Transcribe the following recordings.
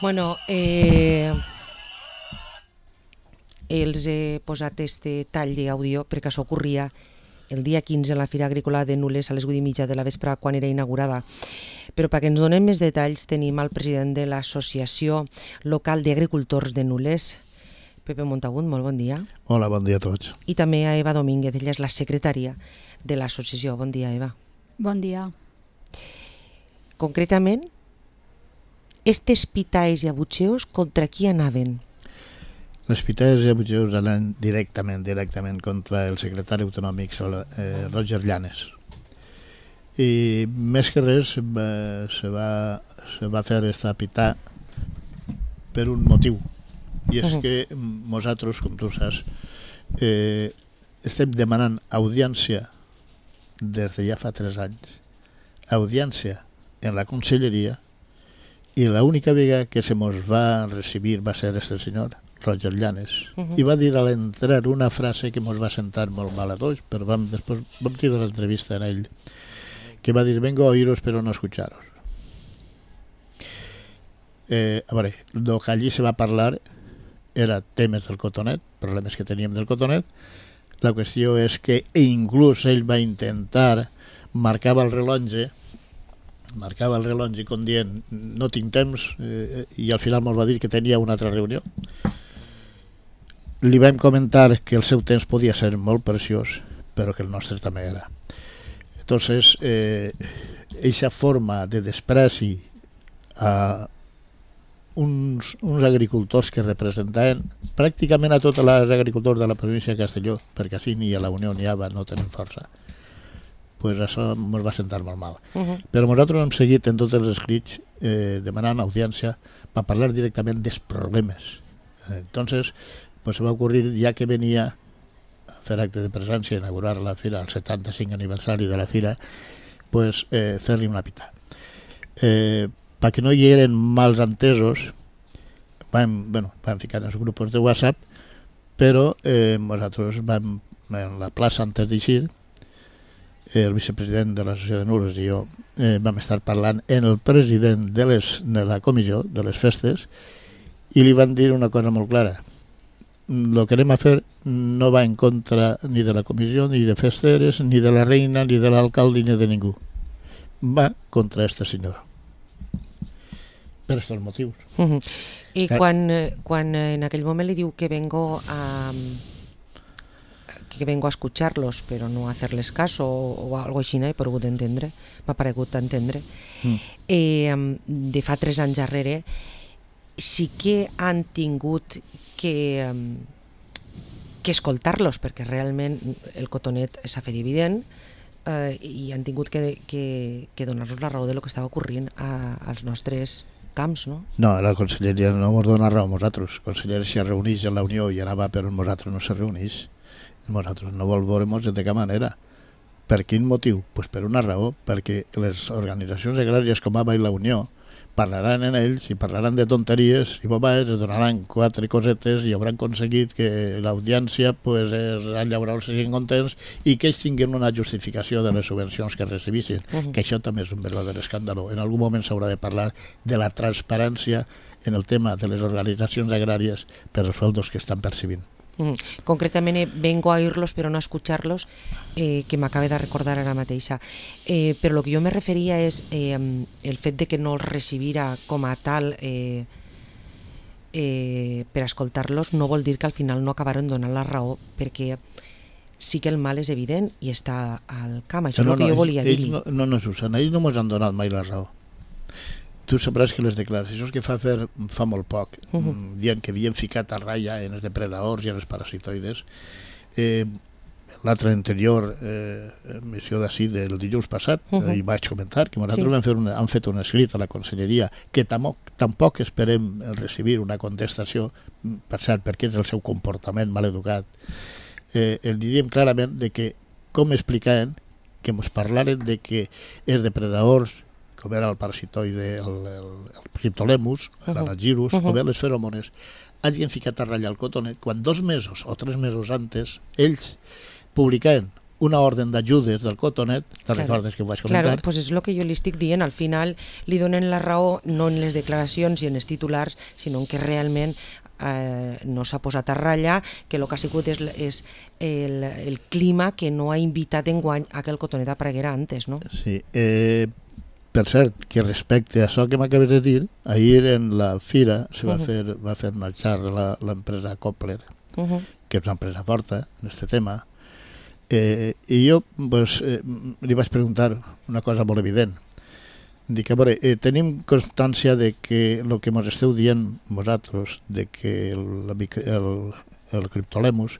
Bueno, els he posat este tall d'àudio perquè això ocorria el dia 15 a la Fira Agrícola de Nules a les 8:30 de la vespre quan era inaugurada. Però perquè ens donem més detalls tenim el president de l'Associació Local d'Agricultors de Nules, Pepe Montagut, molt bon dia. Hola, bon dia a tots. I també a Eva Domínguez, ella és la secretària de l'associació. Bon dia, Eva. Bon dia. Concretament, estes pitalls i abutxeus contra qui anaven? Les pitades i abutxeus anaven directament contra el secretari autonòmic Roger Llanes. I més que res se va fer esta pità per un motiu. I és que nosaltres, com tu saps, estem demanant audiència des de ja fa 3 anys, audiència en la conselleria, i l'única vegada que se mos va recibir va ser este senyor, Roger Llanes, i va dir a l'entrar una frase que mos va sentar molt mal a tots, però després vam tirar l'entrevista en ell, que va dir: vengo a oíros pero no a escucharos. A veure, el que allí se va parlar era temes del cotonet, problemes que teníem del cotonet. La qüestió és que inclús ell va intentar, marcava el rellotge com dient no tinc temps, i al final ens va dir que tenia una altra reunió. Li vam comentar que el seu temps podia ser molt preciós, però que el nostre també era. Entonces, eixa forma de despreci a uns agricultors que representaven pràcticament a tots els agricultors de la província de Castelló, perquè així ni a la Unió ni a ABA no tenen força, pues això ens va sentar molt mal. Però nosaltres hem seguit en tots els escrits demanant audiència per parlar directament dels problemes. Entonces, pues se va ocurrir, ja que venia a fer acte de presència, inaugurar la fira, el 75 aniversari de la fira, pues fer-li una pità. Perquè no hi eren mals entesos, vam ficar en els grups de WhatsApp, però nosaltres vam, en la plaça antes d'eixir, el vicepresident de l'associació de Nules i jo vam estar parlant en el president de la comissió de les festes i li van dir una cosa molt clara: el que anem a fer no va en contra ni de la comissió, ni de festeres, ni de la reina, ni de l'alcalde, ni de ningú. Va contra este senyor. Per estos motius. I quan en aquell moment li diu que vengo a escucharlos pero no a hacerles caso o algo així, he pogut entendre, m'ha paregut entendre. De fa 3 anys darrere sí que han tingut que escoltar-los, perquè realment el cotonet s'ha fet evident, i han tingut que donar-los la raó de lo que estava ocorrint als nostres camps, no? No, la conselleria no ens dona raó a nosaltres. La conselleria s'hi reuneix en la Unió i anava, però nosaltres no se reuneix. Nosaltres no vol veure-nos de cap manera. Per quin motiu? Pues per una raó, perquè les organitzacions agràries com ABA i la Unió parlaran en ells i parlaran de tonteries i bobades, es donaran 4 cosetes i hauran aconseguit que l'audiència pues, els llauradors siguin contents i que ells tinguin una justificació de les subvencions que recibissin, que això també és un verdader escàndalo. En algun moment s'haurà de parlar de la transparència en el tema de les organitzacions agràries per als sueldos que estan percibint. Concretament vengo a oírlos però no a escucharlos, que m'acaba de recordar ara mateixa, però el que jo me referia és el fet de que no els recibira com a tal per escoltar-los no vol dir que al final no acabaran donant la raó, perquè sí que el mal és evident i està al camp, això és el que jo volia dir-li. No, Susana, ells no ens han donat mai la raó. Tu sabràs que les declaracions que fa molt poc, dient que havien ficat a ratlla en els depredadors i en els parasitoides, l'altre anterior emissió d'ací del dilluns passat, i vaig comentar que nosaltres hem fet un escrit a la conselleria que tampoc esperem recibir una contestació, per cert, perquè és el seu comportament maleducat. El diem clarament de que, com explicaven, que ens parlaren de que els depredadors, com era el parasitoide, el Cryptolemus, l'Anagirus, o bé les feromones, hagin ficat a ratllar el cotonet quan 2 mesos o 3 mesos antes ells publicaven una ordre d'ajudes del Cotonet, te'n recordes que ho vaig comentar? Claro, pues és el que jo li estic dient, al final li donen la raó no en les declaracions i en els titulars, sinó en que realment no s'ha posat a ratlla, que el que ha sigut és el clima que no ha invitat enguany a que el Cotonet apareguera antes, no? Sí, per cert, que respecte a això que m'acabes de dir, ahir en la fira se va fer marxar l'empresa Koppler, que és una empresa forta en aquest tema, i jo pues, li vaig preguntar una cosa molt evident. Dic, a veure, tenim constància de que el que ens esteu dient vosaltres, de que el criptolemus,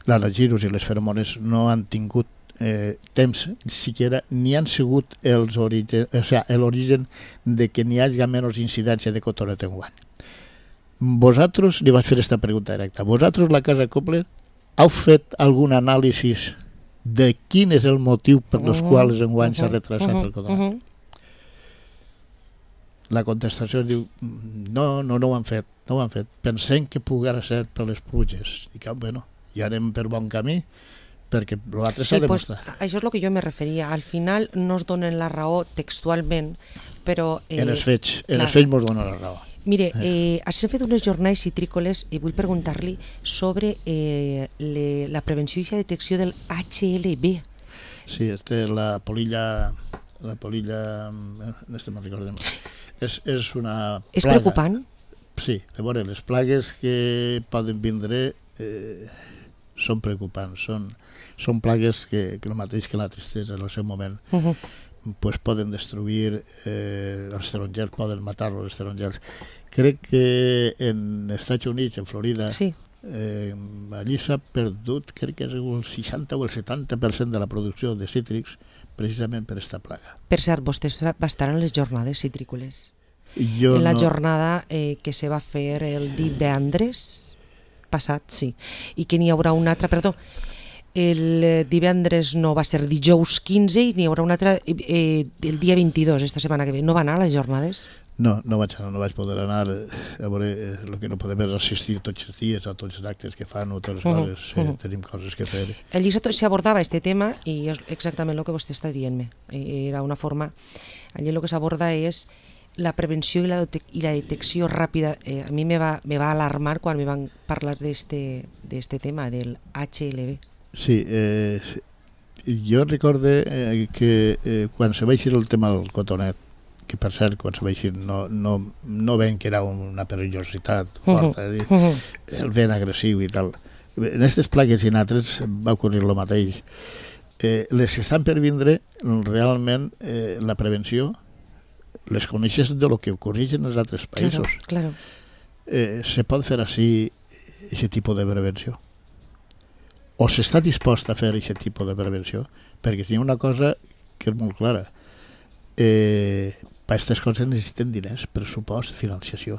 l'anagirus i les feromones no han tingut temps siquiera, ni han sigut l'origen de que n'hi hagi menys incidència de cotonet enguany. Vosaltres, li vaig fer aquesta pregunta directa, vosaltres, la Casa Koppler, heu fet algun anàlisi de quin és el motiu per els quals enguany s'ha retrasat el cotonet? La contestació diu, no ho han fet, pensem que poguera ser per les pluges. I que, bueno, ja anem per bon camí, perquè l'altre s'ha de demostrar. Això és el que jo me referia. Al final no es donen la raó textualment, però... En els fets ens donen la raó. Mire, s'han fet unes jornades citrícoles i vull preguntar-li sobre la prevenció i la detecció del HLB. Sí, la polilla... no me'n recordem. És una plaga. És preocupant? Sí, a veure, les plagues que poden vindre són preocupants. Són plagues que el mateix que la tristesa en el seu moment pues poden destruir els tarongers, poden matar els tarongers. Crec que en Estats Units, en Florida, sí. Allí s'ha perdut, crec que és el 60 o el 70% de la producció de cítrics precisament per aquesta plaga. Per cert, vostè va estar en les jornades citrícoles. En la jornada que se va fer el divendres passat, sí. I que n'hi haurà una altra, perdó, el divendres no va ser dijous 15 i n'hi haurà una altra el dia 22, esta setmana que ve. No va anar a les jornades? No vaig poder anar. A veure, el que no podem és assistir tots els dies a tots els actes que fan o totes les coses, tenim coses que fer. Allí s'abordava aquest tema i és exactament el que vostè està dient-me. Era una forma, allí el que s'aborda és la prevenció i la detecció ràpida. A mi me va alarmar quan me van parlar d'este tema, del HLB. Sí, jo recorde que quan se va eixir el tema del cotonet, que per cert, quan se va eixir no ven que era una perillositat forta, el vent agressiu i tal. En aquestes plagues i en altres va ocorrir el mateix. Les que estan per vindre, realment la prevenció les coneixes de lo que ocorreix en els altres països. Claro. Se pot fer així aquest tipus de prevenció? O s'està dispost a fer aquest tipus de prevenció? Perquè si hi ha una cosa que és molt clara, per aquestes coses necessiten diners, pressupost, financiació.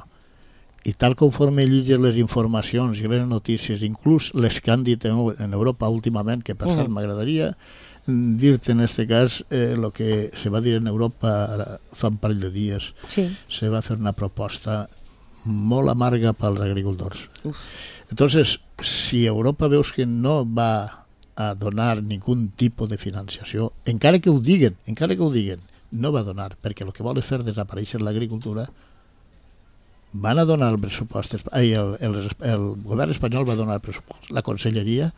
I tal conforme llegis les informacions i les notícies, inclús les que han dit en Europa últimament, que per cert m'agradaria dir-te en aquest cas el que se va dir en Europa fa un parell de dies. Sí. Se va fer una proposta molt amarga pels agricultors. Entonces, si Europa veus que no va a donar ningun tipus de financiació, encara que ho diguen, no va donar, perquè el que vol és fer desaparèixer l'agricultura, van a donar el pressupost, el govern espanyol va donar el pressupost, la conselleria,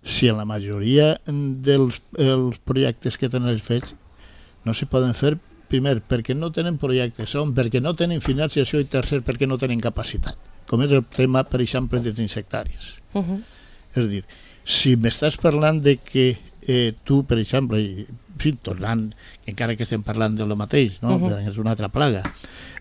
si en la majoria dels projectes que tenen fets no s'hi poden fer, primer, perquè no tenen projectes, segon, perquè no tenen financiació i tercer, perquè no tenen capacitat, com és el tema, per exemple, dels insectaris. És a dir, si m'estàs parlant de que tu, per exemple, tornant, encara que estem parlant de lo mateix, no? És una altra plaga,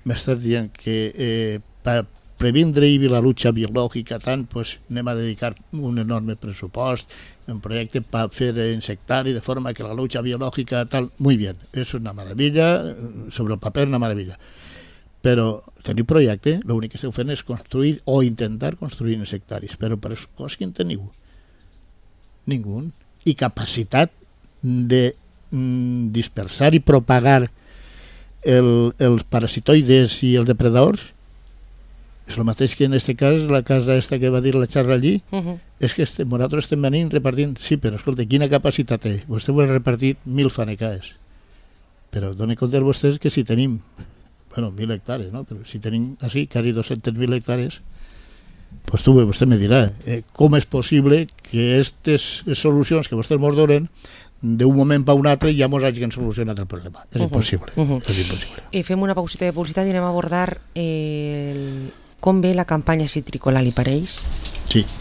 m'estàs dient que per previndre la lucha biològica tant, pues anem a dedicar un enorme pressupost, un projecte per fer insectari, de forma que la lucha biològica tal, muy bien, és una meravella, sobre el paper una meravella. Però teniu projecte, l'únic que esteu fent és construir o intentar construir insectaris, però per això quin teniu? Ningú. I capacitat de dispersar i propagar els parasitoides i els depredadors? És el mateix que en aquest cas, la casa esta que va dir la xarra allí, és que nosaltres estem venint repartint, sí, però escolta, quina capacitat té? Vostè vol repartir 1.000 fanecaes, però doni compte vostès que si tenim, 1.000 hectares, no? Però si tenim així quasi 200.000 hectares, pues vostè me dirà, com és possible que aquestes solucions que vostès ens donen d'un moment per un altre ja ens hagin solucionat el problema. És impossible. És impossible. Fem una pausita de publicitat i anem a abordar com ve la campanya citrícola, li pareix? Sí.